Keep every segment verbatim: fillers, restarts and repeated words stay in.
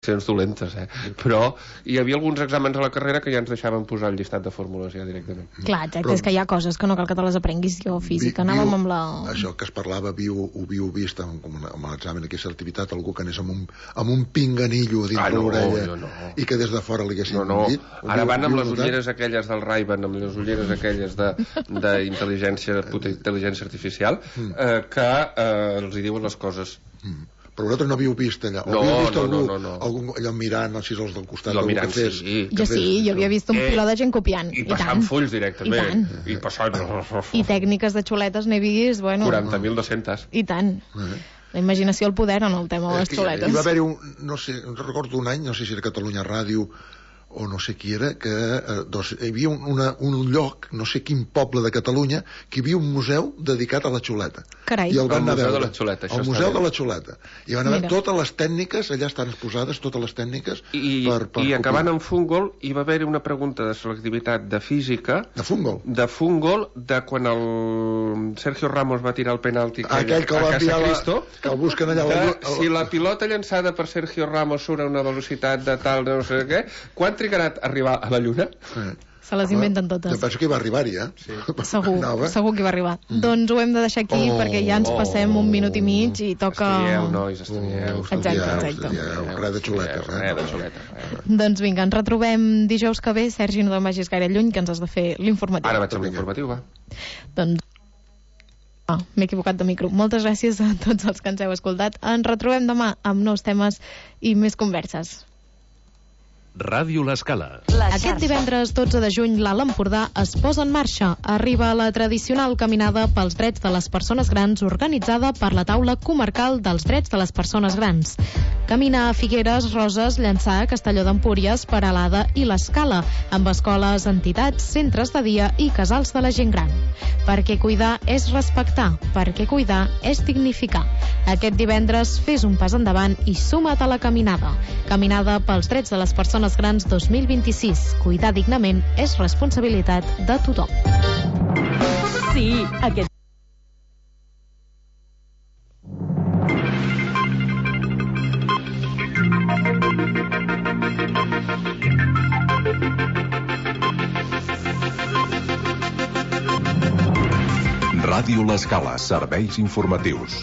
dolentes, eh? Però hi havia alguns exàmens a la carrera que ja ens deixaven posar el llistat de fórmules ja directament. Clar, exacte, però és que hi ha coses que no cal que te les aprenguis. Jo física, vi, anàvem amb la... Això que es parlava, viu, ho viu vist amb, amb l'examen d'aquesta certificat, algú que anés amb un, amb un pinganillo dins ah, no, l'orella no, no. I que des de fora li haguessin no, no. dit. Ara van amb les ulleres aquelles del Ray-Ban, amb les ulleres aquelles d'intel·ligència intel·ligència artificial, mm. eh, que eh, els hi diuen les coses. Mm. Però vosaltres no havíeu vist allà? O no, havíeu vist no, algú, no, no, no. algú allò mirant els sis del costat? No, mirant, que fes, sí. Que jo fes, sí, jo havia vist un eh, piló de gent copiant. I passant fulls directament. I, I passant... I tècniques de xuletes n'he vist, bueno... quaranta mil dos-cents. I tant. Uh -huh. La imaginació al poder en el tema de les xuletes. Hi va haver-hi un, no sé, no recordo un any, no sé si era Catalunya Ràdio o no sé qui era, que eh, doncs, hi havia un, una, un lloc, no sé quin poble de Catalunya, que hi havia un museu dedicat a la xuleta. Carai. I el van el anar museu a veure. de la xuleta, això el museu de la xuleta. I van haver totes les tècniques, allà estan exposades totes les tècniques I, per, per i acabant en Fungol hi va haver una pregunta de selectivitat de física de Fungol de Fungol, de quan el Sergio Ramos va tirar el penalti aquell que va enviar la, que el busquen allà de, la... si la pilota llançada per Sergio Ramos surt a una velocitat de tal no sé què, quan trigarà a arribar a la Lluna? Eh. Se les inventen totes. Jo penso que hi va arribar-hi, eh? Sí. Segur, no, segur que hi va arribar. Mm. Doncs ho hem de deixar aquí, oh, perquè ja ens passem un minut i mig i toca... Estudieu, nois, estudieu. Exacte, exacte. Res de xuletes, eh? Res de xuletes. Doncs vinga, ens retrobem dijous que ve. Sergi, no te'n vagis gaire lluny, que ens has de fer l'informatiu. Ara vaig amb l'informatiu, va. Doncs... Ah, m'he equivocat de micro. Moltes gràcies a tots els que ens heu escoltat. Ens retrobem demà amb nous temes i més converses. Ràdio L'Escala. Aquest divendres dotze de juny l'Alt Empordà es posa en marxa. Arriba la tradicional caminada pels drets de les persones grans organitzada per la taula comarcal dels drets de les persones grans. Camina a Figueres, Roses, Llançà, Castelló d'Empúries, Peralada i l'Escala, amb escoles, entitats, centres de dia i casals de la gent gran. Perquè cuidar és respectar, perquè cuidar és dignificar. Aquest divendres fes un pas endavant i suma't a la caminada. Caminada pels drets de les persones grans dos mil vint-i-sis. Cuidar dignament és responsabilitat de tothom. Sí, aquest... Ràdio L'Escala, serveis informatius.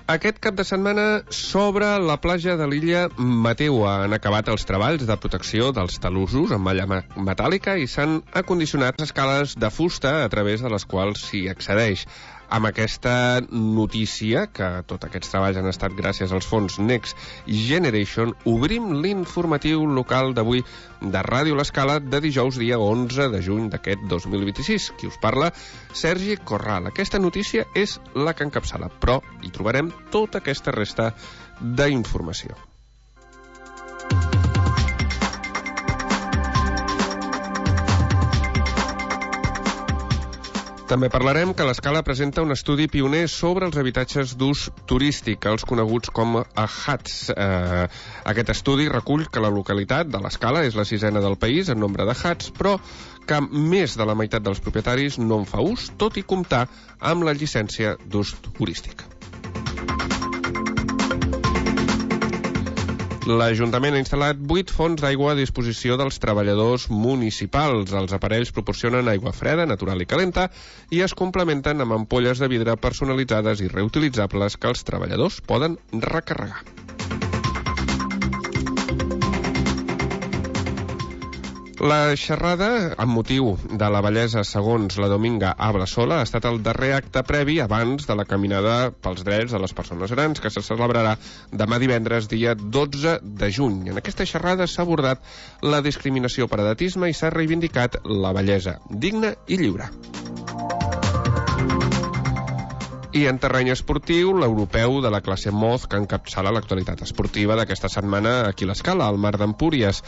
Aquest cap de setmana s'obre la platja de l'illa Mateu. Han acabat els treballs de protecció dels talussos amb malla metàl·lica i s'han acondicionat escales de fusta a través de les quals s'hi accedeix. Amb aquesta notícia, que tots aquests treballs han estat gràcies als fons Next Generation, obrim l'informatiu local d'avui de Ràdio L'Escala de dijous, dia onze de juny d'aquest dos mil vint-i-sis. Qui us parla? Sergi Corral. Aquesta notícia és la que encapçala, però hi trobarem tota aquesta resta d'informació. També parlarem que l'Escala presenta un estudi pioner sobre els habitatges d'ús turístic, els coneguts com a H A Ts. Eh, aquest estudi recull que la localitat de l'Escala és la sisena del país en nombre de H A Ts, però que més de la meitat dels propietaris no en fa ús, tot i comptar amb la llicència d'ús turístic. L'Ajuntament ha instal·lat vuit fonts d'aigua a disposició dels treballadors municipals. Els aparells proporcionen aigua freda, natural i calenta i es complementen amb ampolles de vidre personalitzades i reutilitzables que els treballadors poden recarregar. La xerrada, amb motiu de la bellesa segons la Dominga Ablasola, ha estat el darrer acte previ abans de la caminada pels drets de les persones grans, que se celebrarà demà divendres, dia dotze de juny. En aquesta xerrada s'ha abordat la discriminació per edatisme i s'ha reivindicat la bellesa digna i lliure. I en terreny esportiu, l'europeu de la classe Moz, que encapçala l'actualitat esportiva d'aquesta setmana aquí a l'Escala, al Mar d'Empúries.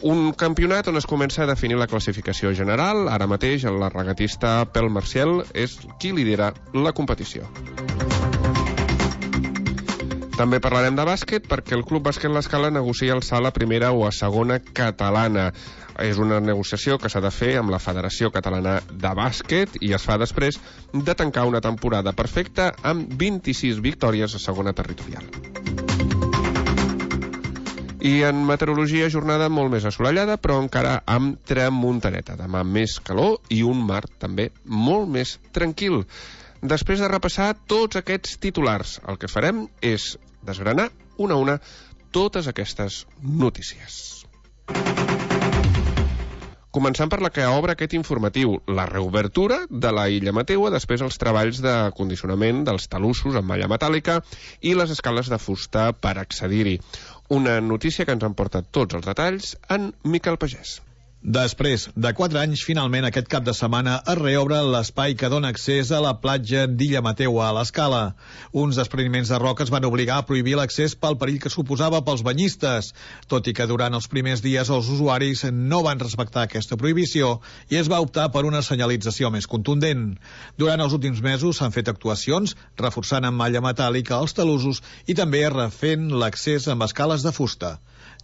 Un campionat on es comença a definir la classificació general. Ara mateix la regatista Pel Marcial és qui lidera la competició. També parlarem de bàsquet perquè el Club Bàsquet L'Escala negocia alçar la primera o a segona catalana. És una negociació que s'ha de fer amb la Federació Catalana de Bàsquet i es fa després de tancar una temporada perfecta amb vint-i-sis victòries a segona territorial. I en meteorologia, jornada molt més assolellada, però encara amb tramuntaneta. Demà més calor i un mar també molt més tranquil. Després de repassar tots aquests titulars, el que farem és desgranar una a una totes aquestes notícies. Començant per la que obre aquest informatiu, la reobertura de la illa Mateua després els treballs de condicionament dels talussos amb malla metàl·lica i les escales de fusta per accedir-hi. Una notícia que ens en porta tots els detalls en Miquel Pagès. Després de quatre anys, finalment aquest cap de setmana es reobre l'espai que dona accés a la platja d'Illa Mateua a l'Escala. Uns despreniments de roques van obligar a prohibir l'accés pel perill que suposava pels banyistes, tot i que durant els primers dies els usuaris no van respectar aquesta prohibició i es va optar per una senyalització més contundent. Durant els últims mesos s'han fet actuacions reforçant amb malla metàl·lica els talussos i també refent l'accés amb escales de fusta.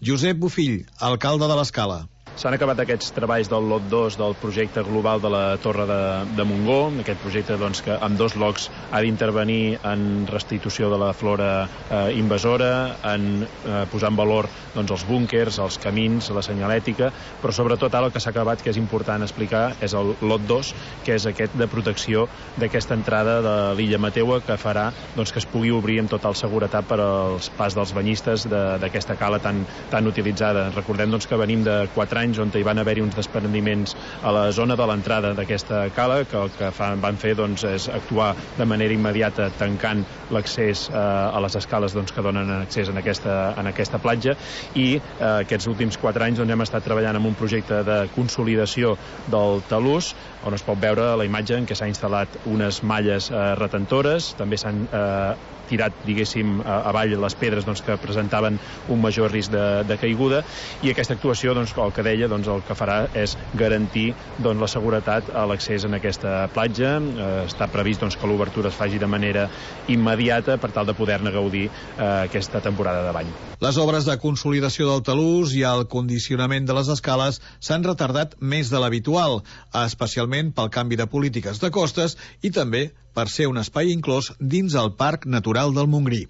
Josep Bofill, alcalde de l'Escala. S'han acabat aquests treballs del lot dos del projecte global de la Torre de, de Montgó, aquest projecte doncs, que amb dos lots ha d'intervenir en restitució de la flora eh, invasora, en eh, posar en valor doncs, els búnkers, els camins, la senyalètica, però sobretot ara el que s'ha acabat, que és important explicar, és el lot dos, que és aquest de protecció d'aquesta entrada de l'illa Mateua, que farà doncs, que es pugui obrir amb total seguretat per als pas dels banyistes d'aquesta cala tan, tan utilitzada. Recordem doncs, que venim de quatre anys on hi van haver-hi uns desprendiments a la zona de l'entrada d'aquesta cala, que el que fan, van fer doncs, és actuar de manera immediata tancant l'accés eh, a les escales doncs, que donen accés en aquesta, en aquesta platja, i eh, aquests últims quatre anys doncs, hem estat treballant en un projecte de consolidació del talús, on es pot veure la imatge en què s'ha instal·lat unes malles eh, retentores, també s'han eh, tirat, diguéssim, avall les pedres doncs, que presentaven un major risc de, de caiguda, i aquesta actuació, doncs, el que deia, doncs, el que farà és garantir doncs, la seguretat a l'accés en aquesta platja. Eh, està previst doncs, que l'obertura es faci de manera immediata per tal de poder-ne gaudir eh, aquesta temporada de bany. Les obres de consolidació del talús i el condicionament de les escales s'han retardat més de l'habitual, especialment pel canvi de polítiques de costes i també per ser un espai inclòs dins el Parc Natural del Montgrí.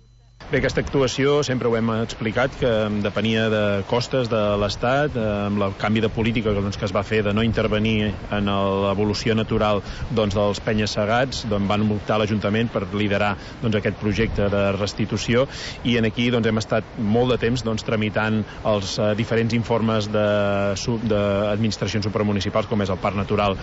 Bé, aquesta actuació sempre ho hem explicat, que depenia de costes de l'Estat, amb el canvi de política doncs, que es va fer de no intervenir en l'evolució natural doncs, dels penya-segats, doncs, van optar l'Ajuntament per liderar doncs, aquest projecte de restitució, i en aquí doncs, hem estat molt de temps doncs, tramitant els uh, diferents informes d'administracions supramunicipals, com és el Parc Natural.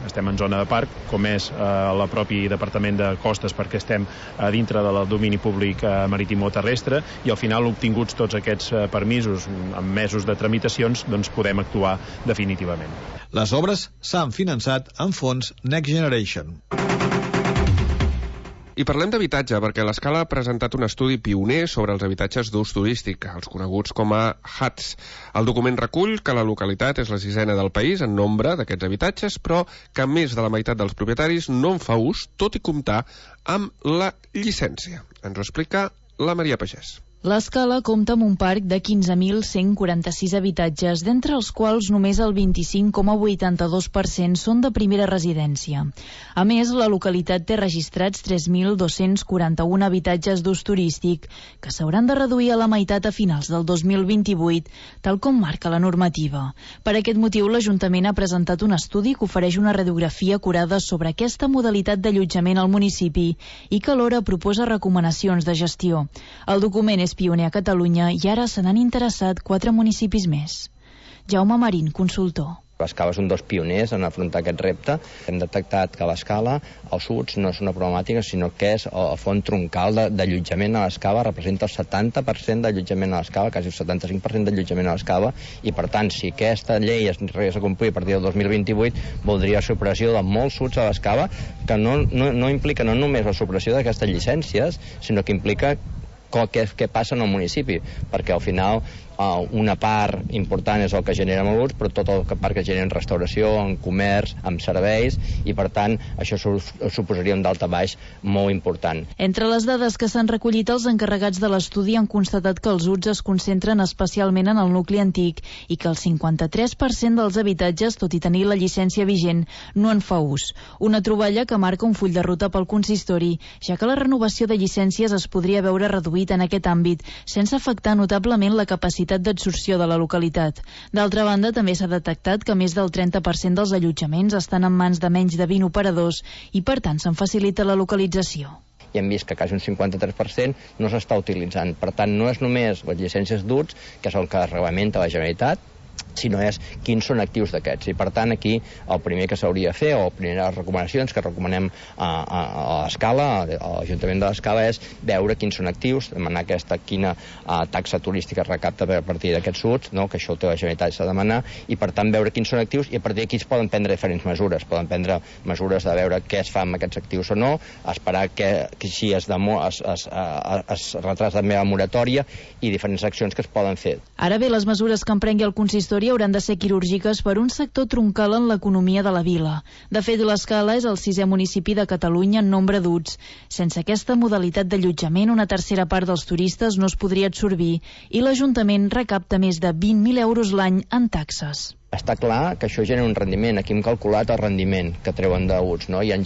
Estem en zona de parc, com és uh, el propi Departament de Costes, perquè estem uh, dintre del domini públic uh, marítim o terrestre, i al final, obtinguts tots aquests eh, permisos amb mesos de tramitacions, doncs podem actuar definitivament. Les obres s'han finançat amb fons Next Generation. I parlem d'habitatge, perquè l'Escala ha presentat un estudi pioner sobre els habitatges d'ús turístic, els coneguts com a Huts. El document recull que la localitat és la sisena del país en nombre d'aquests habitatges, però que més de la meitat dels propietaris no en fa ús, tot i comptar amb la llicència. Ens ho explica la Maria Pagès. L'Escala compta amb un parc de quinze mil cent quaranta-sis habitatges, d'entre els quals només el vint-i-cinc coma vuitanta-dos per cent són de primera residència. A més, la localitat té registrats tres mil dos-cents quaranta-un habitatges d'ús turístic, que s'hauran de reduir a la meitat a finals del dos mil vint-i-vuit, tal com marca la normativa. Per aquest motiu, l'Ajuntament ha presentat un estudi que ofereix una radiografia acurada sobre aquesta modalitat d'allotjament al municipi i que alhora proposa recomanacions de gestió. El document és pioner a Catalunya i ara se n'han interessat quatre municipis més. Jaume Marín, consultor. L'Escala és un dels pioners en afrontar aquest repte. Hem detectat que l'Escala, els Huts, no és una problemàtica, sinó que és el font troncal d'allotjament a l'Escala, representa el setanta per cent d'allotjament a l'Escala, quasi el setanta-cinc per cent d'allotjament a l'Escala, i per tant, si aquesta llei es regressa a complir a partir del dos mil vint-i-vuit, voldria la supressió de molts Huts a l'Escala, que no, no, no implica no només la supressió d'aquestes llicències, sinó que implica què, què passa en el municipi, perquè al final uh, una part important és el que genera l'ús, però tot el part que genera en restauració, en comerç, en serveis, i per tant això suposaria un daltabaix molt important. Entre les dades que s'han recollit, els encarregats de l'estudi han constatat que els U Ts es concentren especialment en el nucli antic i que el cinquanta-tres per cent dels habitatges, tot i tenir la llicència vigent, no en fa ús. Una troballa que marca un full de ruta pel consistori, ja que la renovació de llicències es podria veure reduïda reduït en aquest àmbit, sense afectar notablement la capacitat d'absorció de la localitat. D'altra banda, també s'ha detectat que més del trenta per cent dels allotjaments estan en mans de menys de vint operadors i, per tant, se'n facilita la localització. I hem vist que quasi un cinquanta-tres per cent no s'està utilitzant. Per tant, no és només les llicències d'U T S, que és el que reglamenta la Generalitat, sinó és quins són actius d'aquests. I per tant aquí el primer que s'hauria de fer, o primeres recomanacions que recomanem a, a, a l'Escala, a l'Ajuntament de l'Escala, és veure quins són actius, demanar aquesta quina a, taxa turística recapta a partir d'aquests U T S, no? Que això ho té la Generalitat, s'ha de demanar, i per tant veure quins són actius, i a partir d'aquí es poden prendre diferents mesures. Poden prendre mesures de veure què es fa amb aquests actius o no, esperar que, que si es, demo, es, es, es, es retrasa també la moratòria i diferents accions que es poden fer. Ara bé, les mesures que emprengui el consistori hauran de ser quirúrgiques per un sector troncal en l'economia de la vila. De fet, l'Escala és el sisè municipi de Catalunya en nombre d'U T S. Sense aquesta modalitat d'allotjament, una tercera part dels turistes no es podria absorbir i l'Ajuntament recapta més de vint mil euros l'any en taxes. Està clar que això genera un rendiment. Aquí hem calculat el rendiment que treuen d'U T S, no? Hi ha,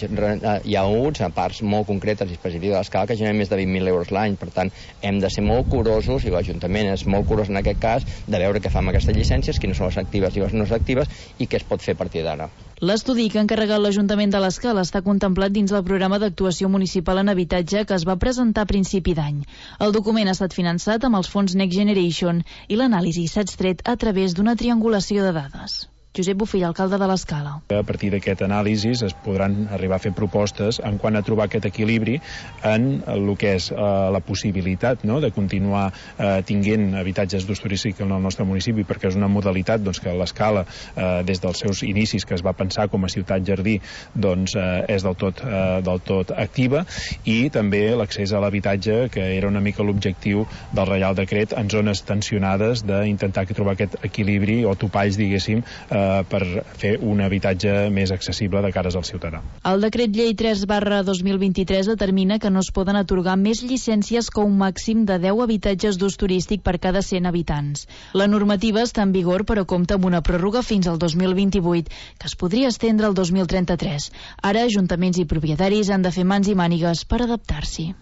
hi ha U T S a parts molt concretes i específiques de l'Escala que generen més de vint mil euros l'any. Per tant, hem de ser molt curosos, i l'Ajuntament és molt curós en aquest cas, de veure què fa amb aquestes llicències, quines són les actives i les no actives, i què es pot fer a partir d'ara. L'estudi que ha encarregat l'Ajuntament de l'Escala està contemplat dins del programa d'actuació municipal en habitatge que es va presentar a principi d'any. El document ha estat finançat amb els fons Next Generation i l'anàlisi s'ha extret a través d'una triangulació de dades. Josep Bofill, alcalde de l'Escala. A partir d'aquest anàlisi es podran arribar a fer propostes en quant a trobar aquest equilibri en el que és eh, la possibilitat, no?, de continuar eh, tinguent habitatges d'ús turístic en el nostre municipi, perquè és una modalitat doncs, que l'Escala, eh, des dels seus inicis, que es va pensar com a ciutat jardí, doncs, eh, és del tot, eh, del tot activa, i també l'accés a l'habitatge, que era una mica l'objectiu del Reial Decret, en zones tensionades, d'intentar trobar aquest equilibri o topalls, diguéssim, eh, per fer un habitatge més accessible de cares al ciutadà. El decret llei tres barra dos mil vint-i-tres determina que no es poden atorgar més llicències que un màxim de deu habitatges d'ús turístic per cada cent habitants. La normativa està en vigor, però compta amb una pròrroga fins al dos mil vint-i-vuit, que es podria estendre al dos mil trenta-tres. Ara, ajuntaments i propietaris han de fer mans i mànigues per adaptar-s'hi.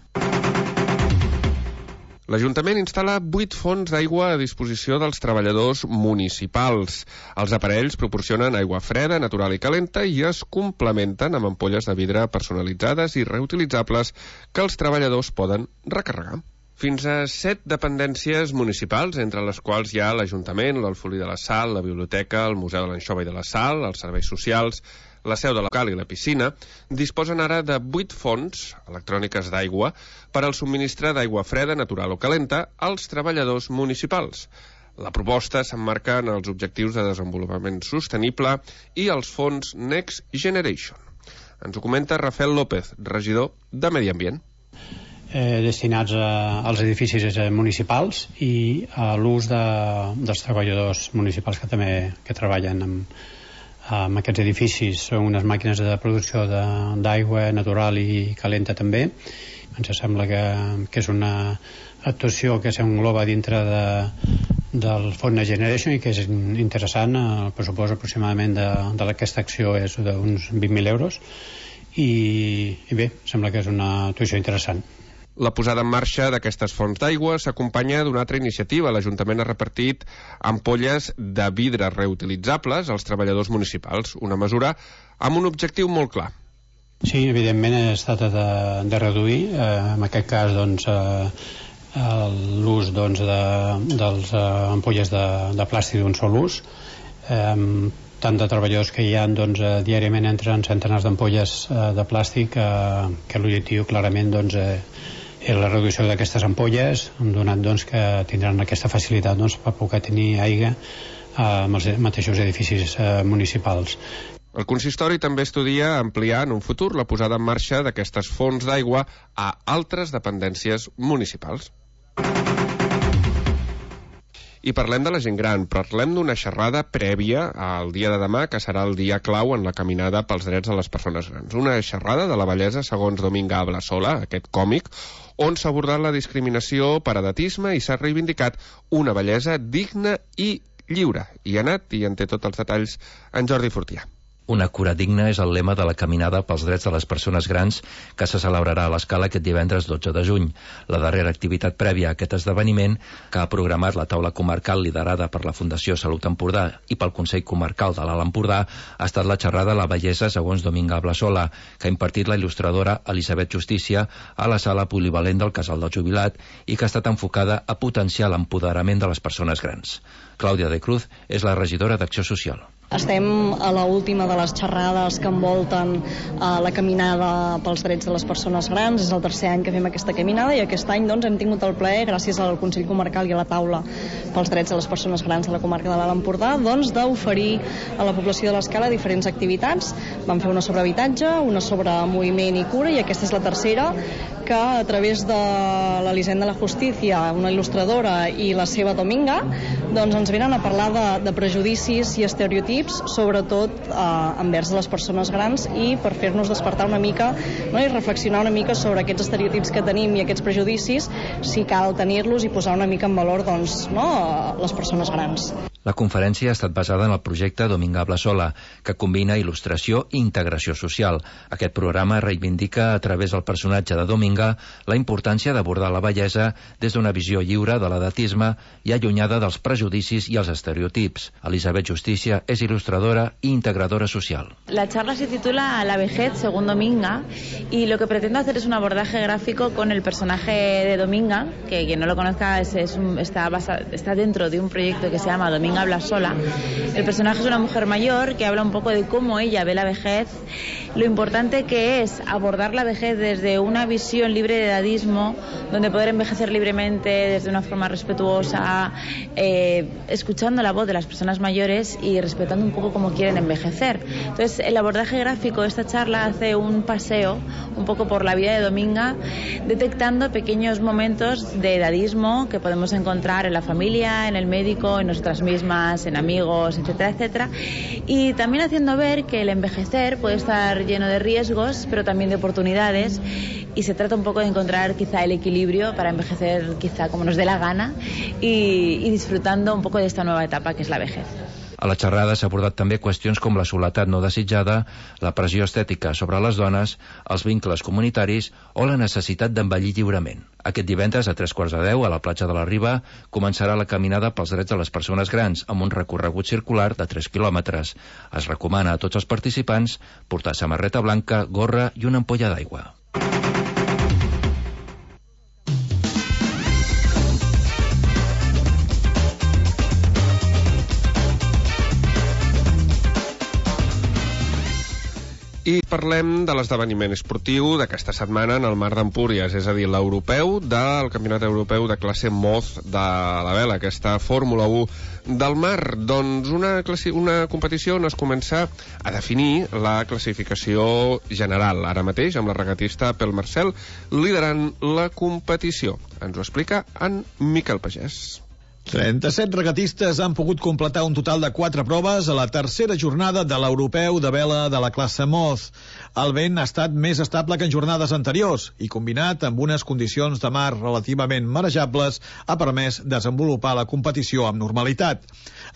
L'Ajuntament instal·la vuit fonts d'aigua a disposició dels treballadors municipals. Els aparells proporcionen aigua freda, natural i calenta i es complementen amb ampolles de vidre personalitzades i reutilitzables que els treballadors poden recarregar. Fins a set dependències municipals, entre les quals hi ha l'Ajuntament, l'Alfolí de la Sal, la Biblioteca, el Museu de l'Anxova i de la Sal, els serveis socials, la seu de local i la piscina, disposen ara de vuit fonts electròniques d'aigua per al subministre d'aigua freda, natural o calenta als treballadors municipals. La proposta s'emmarca en els objectius de desenvolupament sostenible i els fons Next Generation. Ens ho comenta Rafael López, regidor de Medi Ambient. Eh, destinats a, als edificis municipals i a l'ús de, dels treballadors municipals que també que treballen amb amb aquests edificis. Són unes màquines de producció d'aigua natural i calenta també. Ens sembla que, que és una actuació que s'engloba dintre de, del Fons Next Generation i que és interessant. El pressupost aproximadament d'aquesta acció és d'uns vint mil euros i, i bé, sembla que és una actuació interessant. La posada en marxa d'aquestes fonts d'aigua s'acompanya d'una altra iniciativa. L'Ajuntament ha repartit ampolles de vidre reutilitzables als treballadors municipals, una mesura amb un objectiu molt clar. Sí, evidentment es tracta de, de reduir, eh, en aquest cas doncs, eh, l'ús doncs, de, dels eh, ampolles de, de plàstic d'un sol ús. Eh, tant de treballadors que hi ha doncs, eh, diàriament entren centenars d'ampolles eh, de plàstic eh, que l'objectiu clarament doncs, eh, és la reducció d'aquestes ampolles, donat doncs, que tindran aquesta facilitat doncs, per poder tenir aigua eh, amb els mateixos edificis eh, municipals. El consistori també estudia ampliar en un futur la posada en marxa d'aquestes fonts d'aigua a altres dependències municipals. I parlem de la gent gran, parlem d'una xerrada prèvia al dia de demà, que serà el dia clau en la caminada pels drets de les persones grans. Una xerrada de la bellesa segons Dominga Ablasola, aquest còmic, on s'ha abordat la discriminació per edatisme i s'ha reivindicat una bellesa digna i lliure. I ha anat i en té tots els detalls en Jordi Fortià. Una cura digna és el lema de la Caminada pels Drets de les Persones Grans que se celebrarà a l'Escala aquest divendres dotze de juny. La darrera activitat prèvia a aquest esdeveniment, que ha programat la taula comarcal liderada per la Fundació Salut Empordà i pel Consell Comarcal de l'Alt Empordà, ha estat la xerrada La bellesa segons Dominga Blasola, que ha impartit la il·lustradora Elisabet Justícia a la sala polivalent del Casal del Jubilat i que ha estat enfocada a potenciar l'empoderament de les persones grans. Clàudia de Cruz és la regidora d'Acció Social. Estem a l'última de les xerrades que envolten eh, la caminada pels drets de les persones grans. És el tercer any que fem aquesta caminada i aquest any doncs, hem tingut el plaer, gràcies al Consell Comarcal i a la taula pels drets de les persones grans de la comarca de l'Alt Empordà, doncs, d'oferir a la població de l'Escala diferents activitats. Vam fer una sobre habitatge, una sobre moviment i cura, i aquesta és la tercera, que a través de l'Elisenda de la Justícia, una il·lustradora, i la seva Dominga, doncs ens venen a parlar de, de prejudicis i estereotips, sobretot eh, envers les persones grans, i per fer-nos despertar una mica, no, i reflexionar una mica sobre aquests estereotips que tenim i aquests prejudicis, si cal tenir-los i posar una mica en valor, doncs, no, les persones grans. La conferència ha estat basada en el projecte Dominga Blasola, que combina il·lustració i integració social. Aquest programa reivindica a través del personatge de Dominga la importància d'abordar la bellesa des d'una visió lliure de l'edatisme i allunyada dels prejudicis i els estereotips. Elisabet Justícia és ilustradora i integradora social. La charla se titula La vejez según Dominga, y lo que pretendo hacer es un abordaje gráfico con el personaje de Dominga, que quien no lo conozca es, es un, está, basa, está dentro de un proyecto que se llama Dominga habla sola. El personaje es una mujer mayor que habla un poco de cómo ella ve la vejez, lo importante que es abordar la vejez desde una visión libre de edadismo, donde poder envejecer libremente desde una forma respetuosa, eh, escuchando la voz de las personas mayores y respetando un poco cómo quieren envejecer. Entonces, el abordaje gráfico de esta charla hace un paseo un poco por la vida de Dominga, detectando pequeños momentos de edadismo que podemos encontrar en la familia, en el médico, en nosotras mismas, en amigos, etcétera, etcétera, y también haciendo ver que el envejecer puede estar lleno de riesgos, pero también de oportunidades, y se trata un poco de encontrar quizá el equilibrio para envejecer quizá como nos dé la gana y, y disfrutando un poco de esta nueva etapa que es la vejez. A la xerrada s'ha abordat també qüestions com la soledat no desitjada, la pressió estètica sobre les dones, els vincles comunitaris o la necessitat d'envellir lliurement. Aquest divendres a tres quarts de deu a la platja de la Riba començarà la caminada pels drets de les persones grans amb un recorregut circular de tres quilòmetres. Es recomana a tots els participants portar samarreta blanca, gorra i una ampolla d'aigua. I parlem de l'esdeveniment esportiu d'aquesta setmana en el Mar d'Empúries, és a dir, l'europeu del Campionat Europeu de classe Moz de la vela, aquesta Fórmula u del mar. Doncs una, classi- una competició on es comença a definir la classificació general, ara mateix amb la regatista Pel Marcel liderant la competició. Ens ho explica en Miquel Pagès. trenta-set regatistes han pogut completar un total de quatre proves a la tercera jornada de l'europeu de vela de la classe Moz. El vent ha estat més estable que en jornades anteriors i, combinat amb unes condicions de mar relativament marejables, ha permès desenvolupar la competició amb normalitat.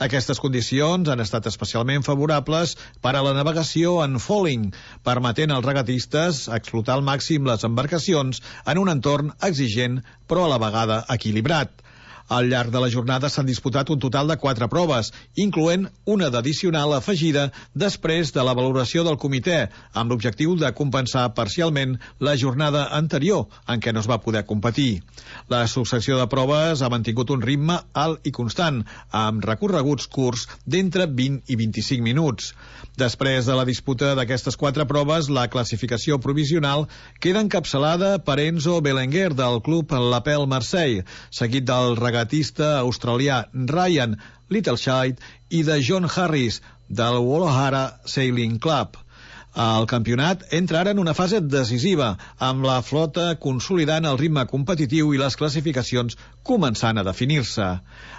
Aquestes condicions han estat especialment favorables per a la navegació en foiling, permetent als regatistes explotar al màxim les embarcacions en un entorn exigent però a la vegada equilibrat. Al llarg de la jornada s'han disputat un total de quatre proves, incloent una d'addicional afegida després de la valoració del comitè, amb l'objectiu de compensar parcialment la jornada anterior, en què no es va poder competir. La successió de proves ha mantingut un ritme alt i constant, amb recorreguts curts d'entre vint i vint-i-cinc minuts. Després de la disputa d'aquestes quatre proves, la classificació provisional queda encapçalada per Enzo Belenguer del club L'Apel Marseille, seguit del regatista australià Ryan Littleshide i de John Harris del Wollahara Sailing Club. El campionat entra ara en una fase decisiva, amb la flota consolidant el ritme competitiu i les classificacions començant a definir-se.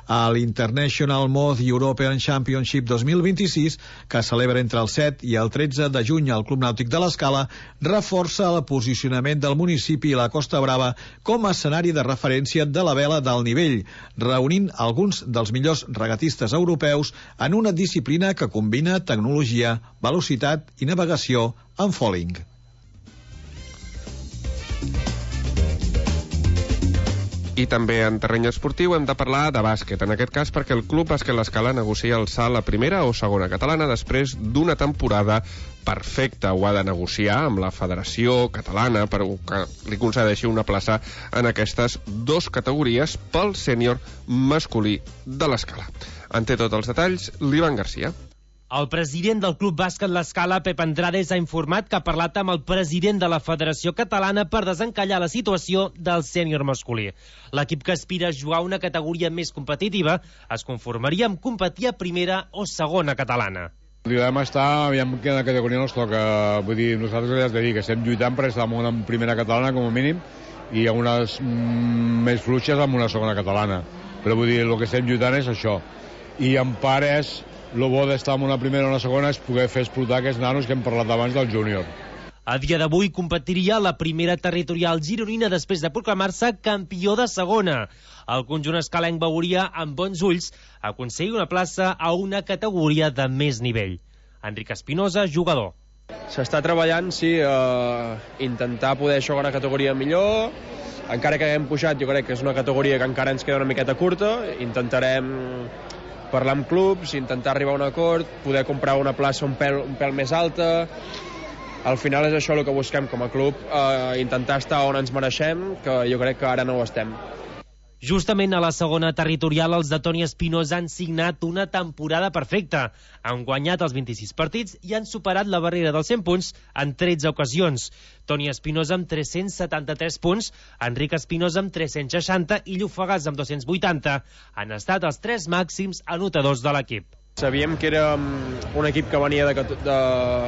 A l'International Mod European Championship dos mil vint-i-sis, que celebra entre el set i el tretze de juny al Club Nàutic de l'Escala, reforça el posicionament del municipi i la Costa Brava com a escenari de referència de la vela d'alt nivell, reunint alguns dels millors regatistes europeus en una disciplina que combina tecnologia, velocitat i navegació en foiling. I també en terreny esportiu hem de parlar de bàsquet, en aquest cas perquè el Club Bàsquet L'Escala negocia el salt a primera o segona catalana després d'una temporada perfecta. Ho ha de negociar amb la Federació Catalana per que li concedeixi una plaça en aquestes dues categories pel sènior masculí de l'Escala. En té tots els detalls l'Ivan Garcia. El president del Club Bàsquet L'Escala, Pep Andrades, ha informat que ha parlat amb el president de la Federació Catalana per desencallar la situació del sènior masculí. L'equip que aspira a jugar una categoria més competitiva es conformaria amb competir a primera o segona catalana. Li vam estar, aviam quina categoria ens toca. Vull dir, nosaltres ja has de dir que estem lluitant per estar en una primera catalana com a mínim i unes mm, més fluixes amb una segona catalana. Però vull dir, el que estem lluitant és això. I en part és el bo d'estar en una primera o una segona és poder fer explotar aquests nanos que hem parlat abans del júnior. A dia d'avui competiria la primera territorial gironina després de proclamar-se campió de segona. El conjunt escalenc veuria amb bons ulls aconseguir una plaça a una categoria de més nivell. Enric Espinosa, jugador. S'està treballant, sí, a intentar poder jugar una categoria millor. Encara que haguem pujat, jo crec que és una categoria que encara ens queda una miqueta curta. Intentarem parlar amb clubs, intentar arribar a un acord, poder comprar una plaça un pèl, un pèl més alta. Al final és això el que busquem com a club, eh, intentar estar on ens mereixem, que jo crec que ara no ho estem. Justament a la segona territorial, els de Toni Espinosa han signat una temporada perfecta. Han guanyat els vint-i-sis partits i han superat la barrera dels cent punts en tretze ocasions. Toni Espinosa amb tres-cents setanta-tres punts, Enric Espinosa amb tres-cents seixanta i Llufagàs amb dos-cents vuitanta. Han estat els tres màxims anotadors de l'equip. Sabíem que era un equip que venia de, de,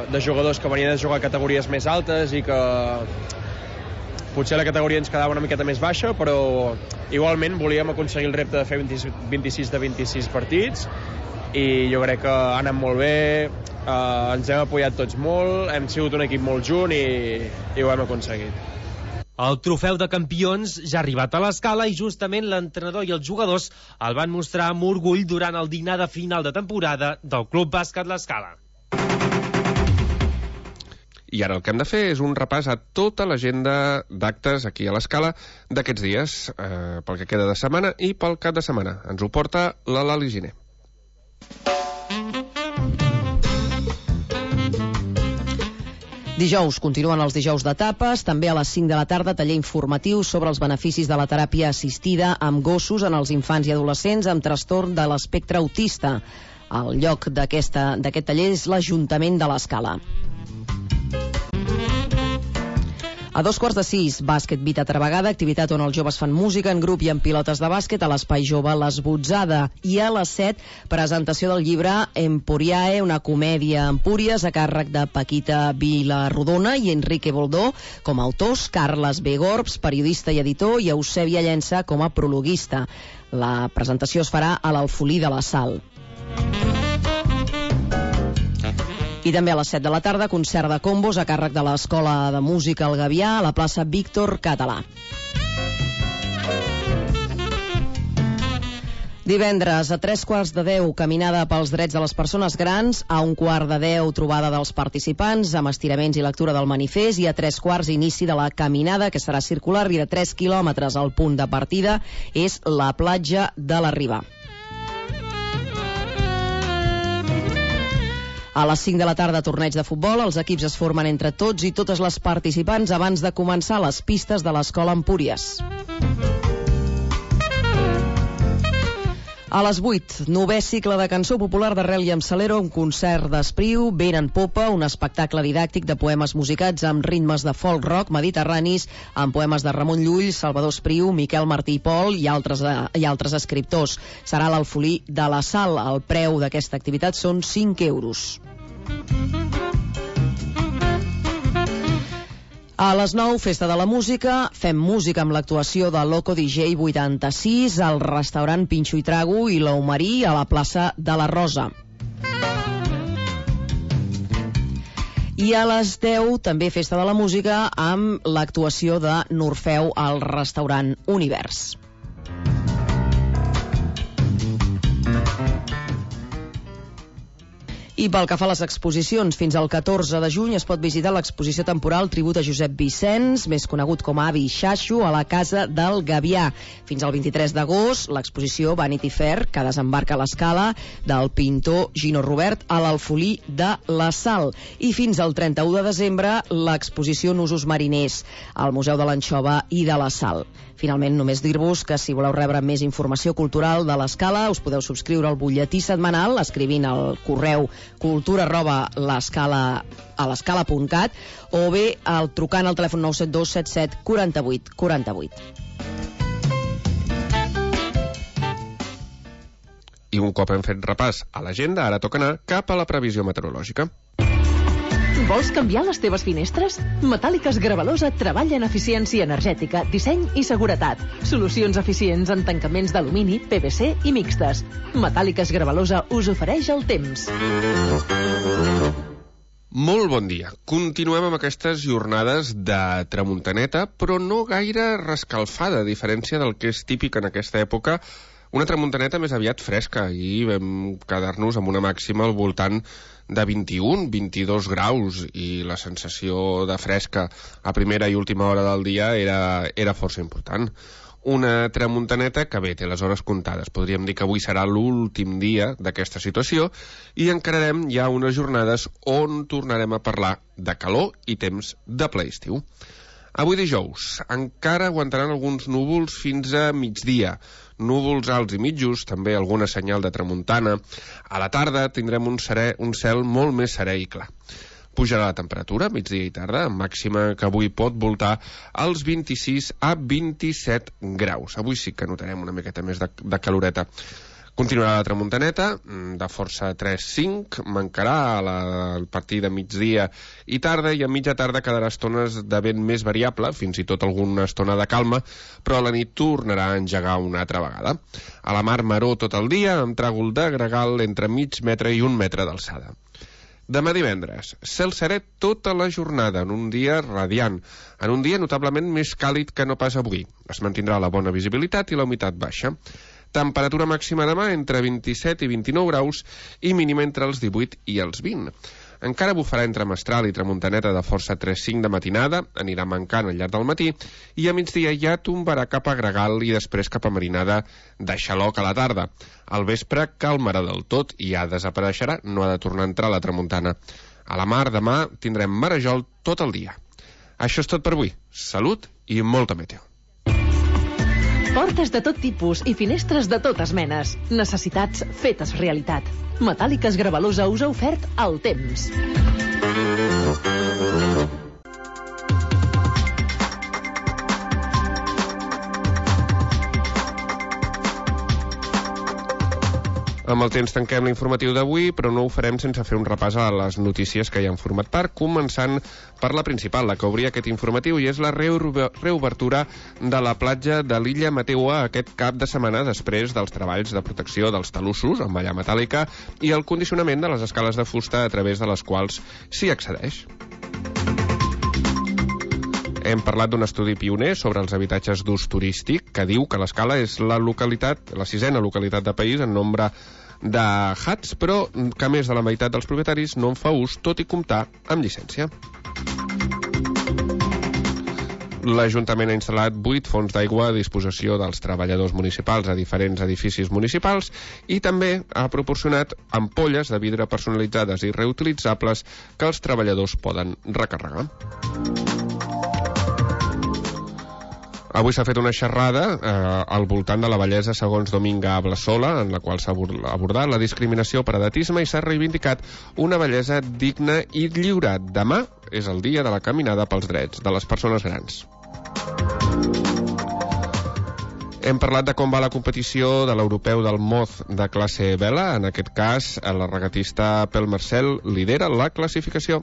de jugadors que venien de jugar a categories més altes i que potser la categoria ens quedava una miqueta més baixa, però igualment volíem aconseguir el repte de fer vint-i-sis de vint-i-sis partits i jo crec que ha anat molt bé, eh, ens hem apoyat tots molt, hem sigut un equip molt junt i, i ho hem aconseguit. El trofeu de campions ja ha arribat a l'Escala i justament l'entrenador i els jugadors el van mostrar amb orgull durant el dinar de final de temporada del Club Bàsquet L'Escala. I ara el que hem de fer és un repàs a tota l'agenda d'actes aquí a l'Escala d'aquests dies, eh, pel que queda de setmana i pel cap de setmana. Ens ho porta la Lali Giner. Dijous continuen els dijous d'etapes, també a les cinc de la tarda taller informatiu sobre els beneficis de la teràpia assistida amb gossos en els infants i adolescents amb trastorn de l'espectre autista. El lloc d'aquest taller és l'Ajuntament de l'Escala. A dos quarts de sis, bàsquet Vita Travegada, activitat on els joves fan música en grup i en pilotes de bàsquet a l'Espai Jove l'Esbotzada. I a les set, presentació del llibre Emporiae, una comèdia a Empúries, a càrrec de Paquita Vilarrodona i Enrique Boldó com a autors, Carles B. Gorbs, periodista i editor, i Eusèbia Llença com a prologuista. La presentació es farà a l'Alfolí de la Sal. I també a les set de la tarda, concert de combos a càrrec de l'Escola de Música El Gavià a la plaça Víctor Català. Divendres, a tres quarts de deu, caminada pels drets de les persones grans, a un quart de deu, trobada dels participants, amb estiraments i lectura del manifest, i a tres quarts, inici de la caminada, que serà circular i de tres quilòmetres. El punt de partida és la platja de la Riba. A les cinc de la tarda, torneig de futbol. Els equips es formen entre tots i totes les participants abans de començar les pistes de l'Escola Empúries. A les vuit, novè cicle de cançó popular d'Arrel i amb Salero, un concert d'Espriu, Vent en Popa, un espectacle didàctic de poemes musicats amb ritmes de folk rock mediterranis, amb poemes de Ramon Llull, Salvador Espriu, Miquel Martí i Pol i altres, i altres escriptors. Serà a l'Alfolí de la Sal. El preu d'aquesta activitat són cinc euros. A les nou, Festa de la Música. Fem música amb l'actuació de Loco D J vuitanta-sis al restaurant Pinxo i Trago i l'Aumerí a la plaça de la Rosa. I a les deu, també Festa de la Música amb l'actuació de Norfeu al restaurant Univers. I pel que fa a les exposicions, fins al catorze de juny es pot visitar l'exposició temporal Tribut a Josep Vicenç, més conegut com a Avi Xaxo, a la Casa del Gavià. Fins al vint-i-tres d'agost, l'exposició Vanity Fair, que desembarca a l'Escala, del pintor Gino Robert a l'Alfolí de la Sal. I fins al trenta-u de desembre, l'exposició Nusos Mariners, al Museu de l'Anxova i de la Sal. Finalment, només dir-vos que si voleu rebre més informació cultural de l'Escala, us podeu subscriure al butlletí setmanal escrivint al correu cultura arroba l'escala a l'escala punt cat o bé al trucant al telèfon nou set dos set set quatre vuit quatre vuit. I un cop hem fet repàs a l'agenda, ara toca anar cap a la previsió meteorològica. Vols canviar les teves finestres? Metàl·liques Gravalosa treballa en eficiència energètica, disseny i seguretat. Solucions eficients en tancaments d'alumini, P V C i mixtes. Metàl·liques Gravalosa us ofereix el temps. Molt bon dia. Continuem amb aquestes jornades de tramuntaneta, però no gaire rescalfada, a diferència del que és típic en aquesta època. Una tramuntaneta més aviat fresca, i vam quedar-nos amb una màxima al voltant de vint-i-un, vint-i-dos graus, i la sensació de fresca a primera i última hora del dia era, era força important. Una tramuntaneta que bé, té les hores comptades. Podríem dir que avui serà l'últim dia d'aquesta situació i encararem ja unes jornades on tornarem a parlar de calor i temps de ple estiu. Avui dijous encara aguantaran alguns núvols fins a migdia, núvols alts i mitjos, també alguna senyal de tramuntana. A la tarda tindrem un, serè, un cel molt més serè i clar. Pujarà la temperatura, migdia i tarda, màxima que avui pot voltar als vint-i-sis a vint-i-set graus. Avui sí que notarem una miqueta més de, de caloreta. Continuarà la tramuntaneta, de força tres cinc, mancarà a, la, a partir de migdia i tarda, i a mitja tarda quedarà estones de vent més variable, fins i tot alguna estona de calma, però a la nit tornarà a engegar una altra vegada. A la mar maró tot el dia, amb tràgol de gregal entre mig metre i un metre d'alçada. Demà divendres, cel serè tota la jornada, en un dia radiant, en un dia notablement més càlid que no pas avui. Es mantindrà la bona visibilitat i la humitat baixa. Temperatura màxima demà entre vint-i-set i vint-i-nou graus i mínima entre els divuit i els vint. Encara bufarà entre mestral i tramuntaneta de força tres cinc de matinada, anirà mancant al llarg del matí, i a migdia ja tombarà cap a gregal i després cap a marinada de xaloc a la tarda. Al vespre calmarà del tot i ja desapareixerà, no ha de tornar a entrar la tramuntana. A la mar demà tindrem marejol tot el dia. Això és tot per avui. Salut i molta meteo. Portes de tot tipus i finestres de totes menes. Necessitats fetes realitat. Metàl·liques Gravalosa us ha ofert el temps. Amb el temps tanquem l'informatiu d'avui, però no ho farem sense fer un repàs a les notícies que ja han format part, començant per la principal, la que obria aquest informatiu, i és la reobertura de la platja de l'illa Mateua aquest cap de setmana després dels treballs de protecció dels talussos amb malla metàl·lica i el condicionament de les escales de fusta a través de les quals s'hi accedeix. Hem parlat d'un estudi pioner sobre els habitatges d'ús turístic que diu que l'Escala és la localitat, la sisena localitat de país en nombre de huts, però que més de la meitat dels propietaris no en fa ús, tot i comptar amb llicència. L'Ajuntament ha instal·lat vuit fonts d'aigua a disposició dels treballadors municipals a diferents edificis municipals i també ha proporcionat ampolles de vidre personalitzades i reutilitzables que els treballadors poden recarregar. Avui s'ha fet una xerrada eh, al voltant de la bellesa segons Dominga Ablasola, en la qual s'ha abordat la discriminació per edatisme i s'ha reivindicat una bellesa digna i lliure. Demà és el dia de la caminada pels drets de les persones grans. Hem parlat de com va la competició de l'europeu del Moz de classe vela. En aquest cas, la regatista Pel Marcel lidera la classificació.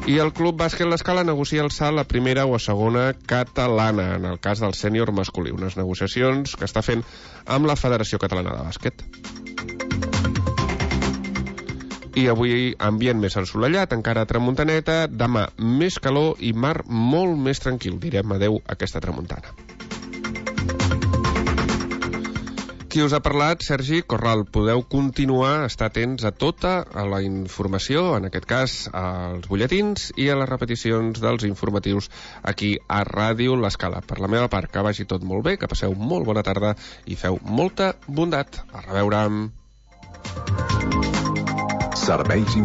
I el Club Bàsquet L'Escala negocia el salt a primera o a segona catalana, en el cas del sènior masculí, unes negociacions que està fent amb la Federació Catalana de Bàsquet. I avui ambient més ensolellat, encara a tramuntaneta, demà més calor i mar molt més tranquil. Direm adeu a aquesta tramuntana. Qui us ha parlat, Sergi Corral. Podeu continuar a estar atents a tota la informació, en aquest cas als butlletins i a les repeticions dels informatius aquí a Ràdio L'Escala. Per la meva part, que vagi tot molt bé, que passeu molt bona tarda i feu molta bondat. A reveure. Serveis